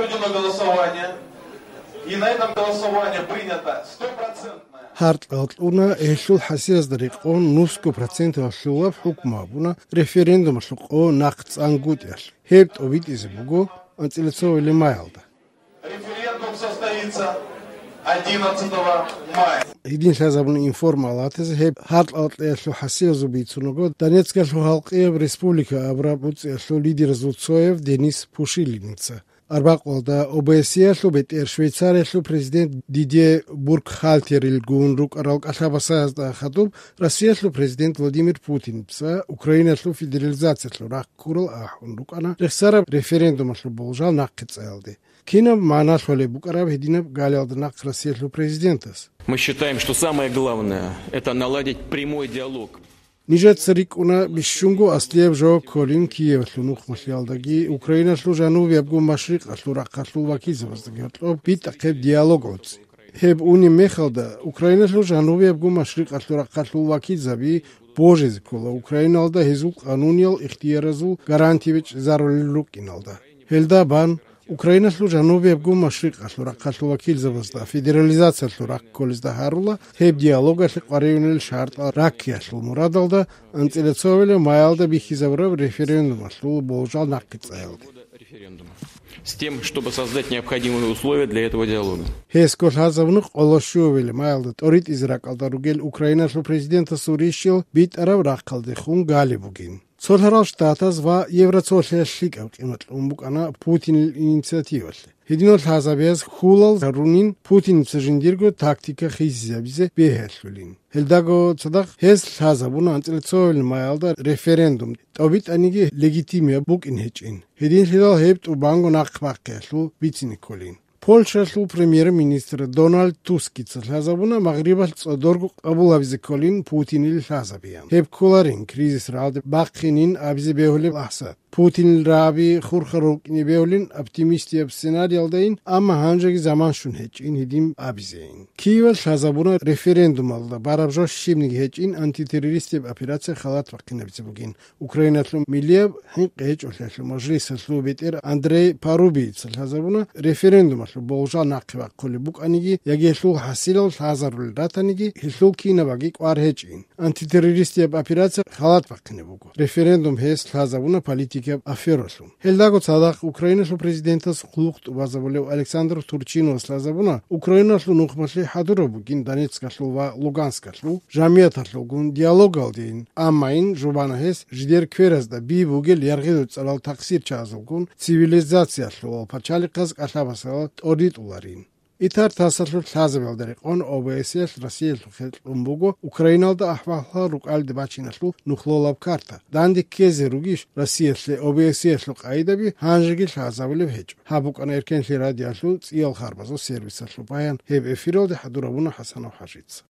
проведено голосование, и на этом голосовании принято 100%. Հարտալտունը էշուլ հասիրս դրիqon 90% ասուլավ հուկմաբունա ռեֆերենդում շուկո նախծանգուտյալ հետ օվիտ իզբուգո անցելցովելի մայալდა Референдум состоится 11 мая. Իդին շազաբուն ինֆորմալատես հետ հարտալտեշու հասիրս ուբիցունոգո Դոնեցկաշու халқы республика Абрабуцեշու լիդեր Զուցոև Դենիս Փուշիլինցը Arbaqolda OBSE-շու բետեր Շվեյցարիաշու prezident Didier Burkhalter գունրուկ արալկ աշաբասազდა խատում Ռոսիաշու prezident Վլադիմիր Պուտինցը Ուկրաինաշու ֆեդերալիզացիաշու ռակուրլ ահունրուկանա ռեսարա ռեֆերենդումաշու բոլժալ նախկծելդի Քինը մանաշոլե Բուկարավ հետինը գալյալդնակ Ռոսիաշու prezidentս Мы считаем, что самое главное это наладить прямой диалог. Նիժետ սրիկունա բիշունգու ասլիև ժո կոլին Կիև լունուխ մշյալդագի Ուկրաինա շլուժանու վեբգու մաշրիկ աշլուրակաշլու վակիզը վստգետլով պիտակև դիալոգոց Հեբ ունի մեխալդա Ուկրաինա շլուժանու վեբգու մաշրիկ աշլուրակաշլու վակիզավի բոժեզ կոլա Ուկրաինալդա հեզուկ անունյալ իխտիերազու գարանտիվիչ զարոլիլուկ ինալդա Հելդա բան Ուկրաինա շլուժանու վեբգու մաշրիկ աշլուրակաշլու վակիզը վստա ֆեդերալիզացիա շլուրակ կոլիզդա հարուլա հեբ դիալոգը շყարիունել շարտ ռակիաշլու մուրադալդա անցելցովելը մայալդա բիխիզավրով ռեֆերենդում աշլու բոլժալ նախկծայալդի С тем, чтобы создать необходимые условия для этого диалога. Հեսկոր հազավնուխ օլոշուվել մայալդա տորիտ իզրակալդարուգել Ուկրաինաշու պրեզիդենտը Սուրիշիլ բիտ արավ ռախկալդի խուն գալիբուգին Ցոլհարալ շտատազ վա Եվրացիաշլիկ ակիմատ ումբուկանա Պուտին ինիցիատիվալ Հեդինոլ հազավեզ խուլալ հարունին Պուտին ծժինդիրգո տակտիկա խիզիզաբիզե բեհելշուլին Հելդագո ցդախ հես հազավուն անցելցովել մայալդա ռեֆերենդում տոբիտ անիգի լեգիտիմիա բուկին հեչին Հեդին հիլալ հեբտ ու բանգո նախվակեշլու բիցինիկոլին Պոլշաշլու պրեմիեր-մինիստրը Դոնալդ Տուսկիցը հազավունա մաղրիբալ ծոդորգու Աբուլավիզեկոլին Պուտինիլ հազավիան Հեբ կոլարին կրիզիս ռալդ բախինին աբիզի բեհոլի ասա Պուտին ռաբի խուրխրոկինի բեհոլին optimistia սցենարիալդային ամա հանջագի զաման շուն հեչին հիդիմ աբիզեին Կիևը հազավունա ռեֆերենդում ալდა բարաբժոշ շիմնիգ հեչին անտիտերորիստիվ օպերացիա խալատ վակինավիցբուգին Ուկրաինացու միլիև հինկ հեչ օլյաշլու մաժլիսը բետեր Անդրեյ Պարուբից հազավունա ռեֆերենդում Բոլժա նախվակ կոլիբուկ անիգի Յագեշլու հասիրալ հազարուլ դատանիգի Հիշլու կինավագի կվարհեջին Անտիտերորիստիվ օպերացիա խալատ վակինավուգ Ռեֆերենդում հես հազավունա պոլիտիկա աֆերոսում Հելդագո ցադախ Ուկրաինաշու պրեզիդենտս խլուխտ վազավոլև Ալեքսանդր Թուրչինոս հազավունա Ուկրաինաշու նուխմաշլի հադուրոբուգին Դոնեցկաշլու վա Լուգանսկաշլու Ժամիաթաշլուգուն դիալոգալդին Ամային ժուբանահես ժդեր քվերազդա բիբուգել երգեդու ցալալ տաքսիր չազուգուն Ցիվիլիզացիաշլու փաչալիկած աշաբասալ Օրիտ ուլարին Իթար տասարշուտ հազավելդերի on OBS-յաշ Ռոսիյաշ ումբուգո Ուկրաինալդա ահվահլա ռուկալ դբաչինաշլու նուխլոլավ կարտա Դանդի կեզի ռուգիշ Ռոսիյաշլի OBS-յաշ լուկայդաբի հանժգիլ հազավելև հեչ Հաբուկան երկենշլի ռադիաշլու ծիալ խարբազո սերվիսաշլու պայան հև էֆիրոդի հադուրավունը հասանով հաշից